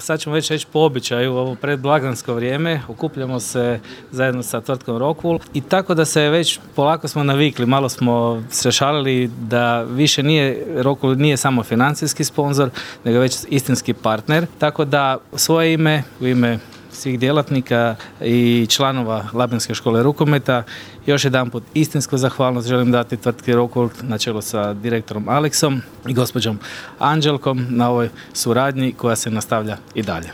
sad ćemo već reći po običaju, ovo predblagdansko vrijeme, okupljamo se zajedno sa tvrtkom Rockwool i tako da se već polako smo navikli, malo smo se šalili da više Rockwool nije samo financijski sponzor, nego već istinski partner, tako da u svoje ime, u ime svih djelatnika i članova Labinske škole rukometa još jedanput istinsku zahvalnost želim dati tvrtki Rockwool na čelu sa direktorom Aleksom i gospođom Anđelkom na ovoj suradnji koja se nastavlja i dalje.